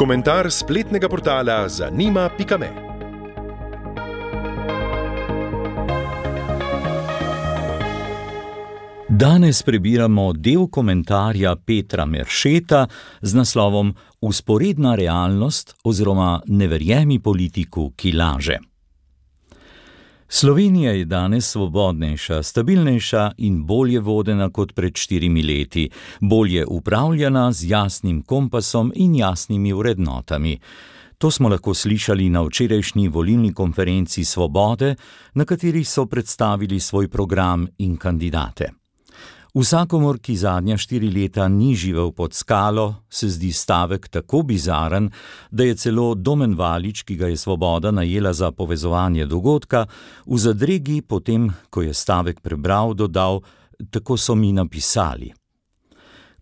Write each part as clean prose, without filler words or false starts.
Komentar spletnega portala zanima.me. Danes prebiramo del komentarja Petra Meršeta z naslovom Vzporedna realnost oziroma Ne verjemi politiku, ki laže. Slovenija je danes svobodnejša, stabilnejša in bolje vodena kot pred 4 leti, bolje upravljana z jasnim kompasom in jasnimi vrednotami. To smo lahko slišali na včerajšnji volilni konferenci Svobode, na kateri so predstavili svoj program in kandidate. Vsakomur, ki zadnja 4 leta ni živel pod skalo, se zdi stavek tako bizaren, da je celo Domen Valič, ki ga je Svoboda najela za povezovanje dogodka, v zadregi potem, ko je stavek prebral, dodal: "Tako so mi napisali."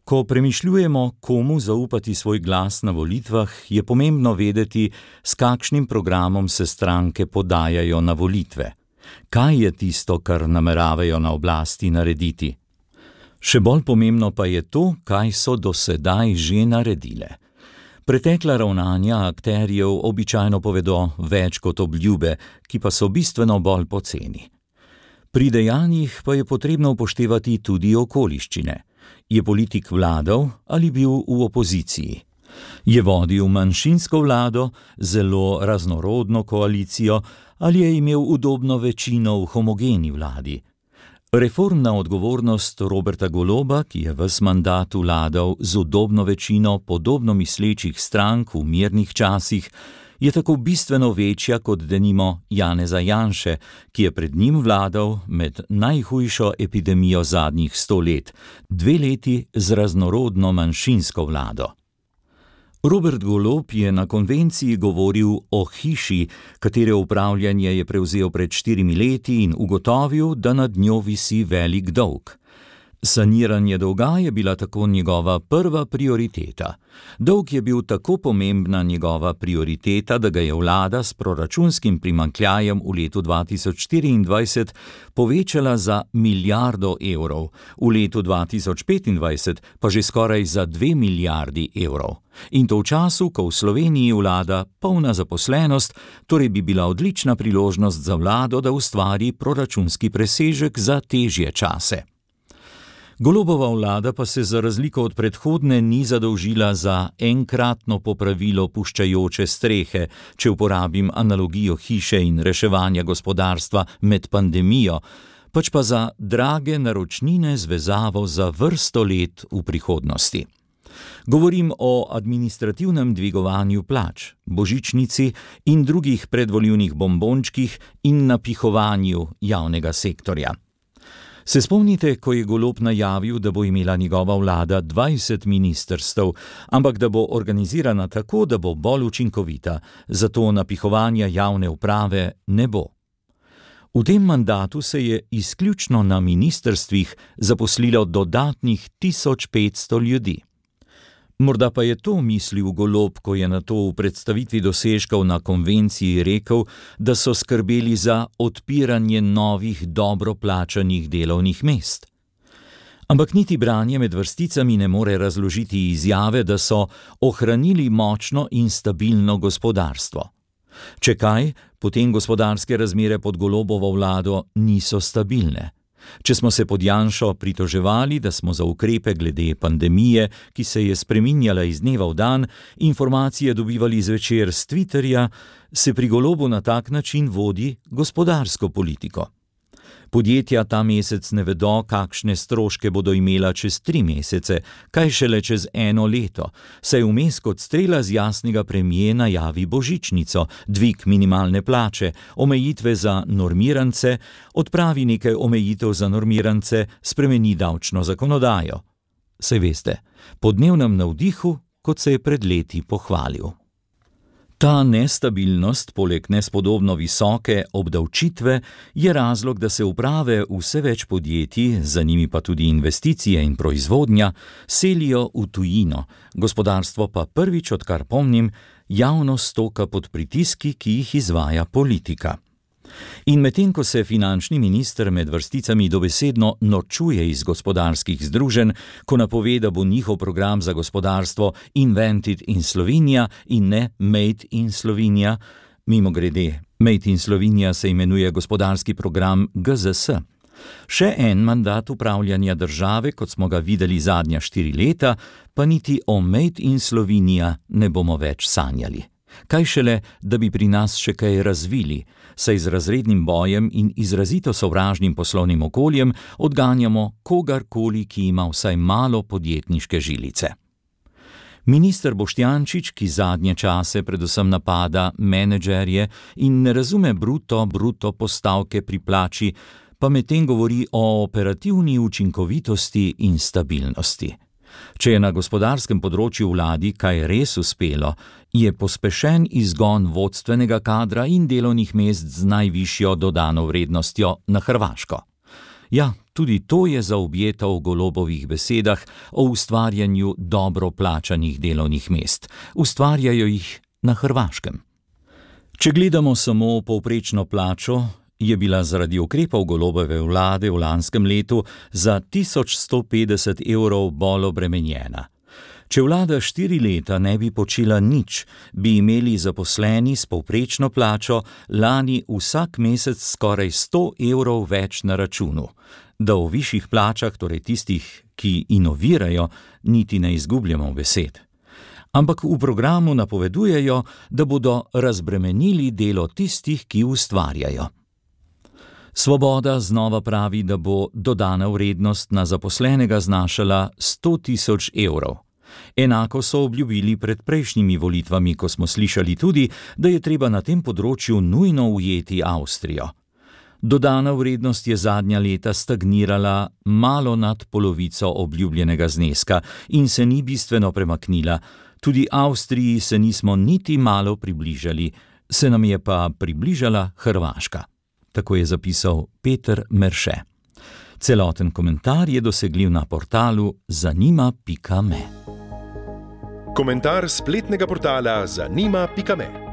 Ko premišljujemo, komu zaupati svoj glas na volitvah, je pomembno vedeti, s kakšnim programom se stranke podajajo na volitve. Kaj je tisto, kar nameravajo na oblasti narediti? Še bolj pomembno pa je to, kaj so do sedaj že naredile. Pretekla ravnanja akterjev običajno povedo več kot obljube, ki pa so bistveno bolj poceni. Pri dejanjih pa je potrebno upoštevati tudi okoliščine. Je politik vladal ali bil v opoziciji? Je vodil manjšinsko vlado, zelo raznorodno koalicijo ali je imel udobno večino v homogeni vladi? Reformna odgovornost Roberta Goloba, ki je ves mandat vladal z udobno večino podobno mislečih strank v mirnih časih, je tako bistveno večja kot denimo Janeza Janše, ki je pred njim vladal med najhujšo epidemijo zadnjih 100 let, 2 leti z raznorodno manjšinsko vlado. Robert Golob je na konvenciji govoril o hiši, katere upravljanje je prevzel pred 4 leti in ugotovil, da nad njo visi velik dolg. Saniranje dolga je bila tako njegova prva prioriteta. Dolg je bil tako pomembna njegova prioriteta, da ga je vlada s proračunskim primanjkljajem v letu 2024 povečala za 1 milijardo evrov, v letu 2025 pa že skoraj za 2 milijardi evrov. In to v času, ko v Sloveniji vlada polna zaposlenost, torej bi bila odlična priložnost za vlado, da ustvari proračunski presežek za težje čase. Golobova vlada pa se za razliko od predhodne ni zadolžila za enkratno popravilo puščajoče strehe, če uporabim analogijo hiše in reševanja gospodarstva med pandemijo, pač pa za drage naročnine z vezavo za vrsto let v prihodnosti. Govorim o administrativnem dvigovanju plač, božičnici in drugih predvolilnih bombončkih in napihovanju javnega sektorja. Se spomnite, ko je Golob najavil, da bo imela njegova vlada 20 ministrstev, ampak da bo organizirana tako, da bo bolj učinkovita, zato napihovanja javne uprave ne bo. V tem mandatu se je izključno na ministrstvih zaposlilo dodatnih 1500 ljudi. Morda pa je to mislil Golob, ko je nato v predstavitvi dosežkov na konvenciji rekel, da so skrbeli za odpiranje novih dobro plačanih delovnih mest. Ampak niti branje med vrsticami ne more razložiti izjave, da so ohranili močno in stabilno gospodarstvo. Če kaj, potem gospodarske razmere pod Golobovo vlado niso stabilne. Če smo se pod Janšo pritoževali, da smo za ukrepe glede pandemije, ki se je spreminjala iz dneva v dan, informacije dobivali zvečer s Twitterja, se pri Golobu na tak način vodi gospodarsko politiko. Podjetja ta mesec ne vedo, kakšne stroške bodo imela čez 3 mesece, kaj šele čez 1 leto, saj vmes kot strela z jasnega premije najavi božičnico, dvig minimalne plače, omejitve za normirance, odpravi nekaj omejitev za normirance, spremeni davčno zakonodajo. Saj veste, po dnevnem navdihu, kot se je pred leti pohvalil. Ta nestabilnost, poleg nespodobno visoke obdavčitve, je razlog, da se uprave vse več podjetij, za njimi pa tudi investicije in proizvodnja, selijo v tujino, gospodarstvo pa prvič, odkar pomnim, javno stoka pod pritiski, ki jih izvaja politika. In medtem ko se finančni minister med vrsticami dobesedno norčuje iz gospodarskih združenj, ko napove, da bo njihov program za gospodarstvo Invented in Slovenia in ne Made in Slovenia, mimogrede, Made in Slovenia se imenuje gospodarski program GZS. Še en mandat upravljanja države, kot smo ga videli zadnja 4 leta, pa niti o Made in Slovenia ne bomo več sanjali. Kaj šele, da bi pri nas še kaj razvili, saj z razrednim bojem in izrazito sovražnim poslovnim okoljem odganjamo kogarkoli, ki ima vsaj malo podjetniške žilice. Minister Boštjančič, ki zadnje čase predvsem napada menedžerje in ne razume bruto postavke pri plači, pa medtem govori o operativni učinkovitosti in stabilnosti. Če je na gospodarskem področju vladi kaj res uspelo, je pospešen izgon vodstvenega kadra in delovnih mest z najvišjo dodano vrednostjo na Hrvaško. Ja, tudi to je zaobjeto v Golobovih besedah o ustvarjanju dobro plačanih delovnih mest. Ustvarjajo jih na Hrvaškem. Če gledamo samo povprečno plačo, je bila zaradi ukrepov Golobove vlade v lanskem letu za 1150 evrov bolj obremenjena. Če vlada 4 leta ne bi počela nič, bi imeli zaposleni s povprečno plačo lani vsak mesec skoraj 100 evrov več na računu. Da o višjih plačah, torej tistih, ki inovirajo, niti ne izgubljamo besed. Ampak v programu napovedujejo, da bodo razbremenili delo tistih, ki ustvarjajo. Svoboda znova pravi, da bo dodana vrednost na zaposlenega znašala 100 000 evrov. Enako so obljubili pred prejšnjimi volitvami, ko smo slišali tudi, da je treba na tem področju nujno ujeti Avstrijo. Dodana vrednost je zadnja leta stagnirala malo nad polovico obljubljenega zneska in se ni bistveno premaknila. Tudi Avstriji se nismo niti malo približali, se nam je pa približala Hrvaška. Tako je zapisal Peter Merše. Celoten komentar je dosegljiv na portalu zanima.me. Komentar spletnega portala zanima.me.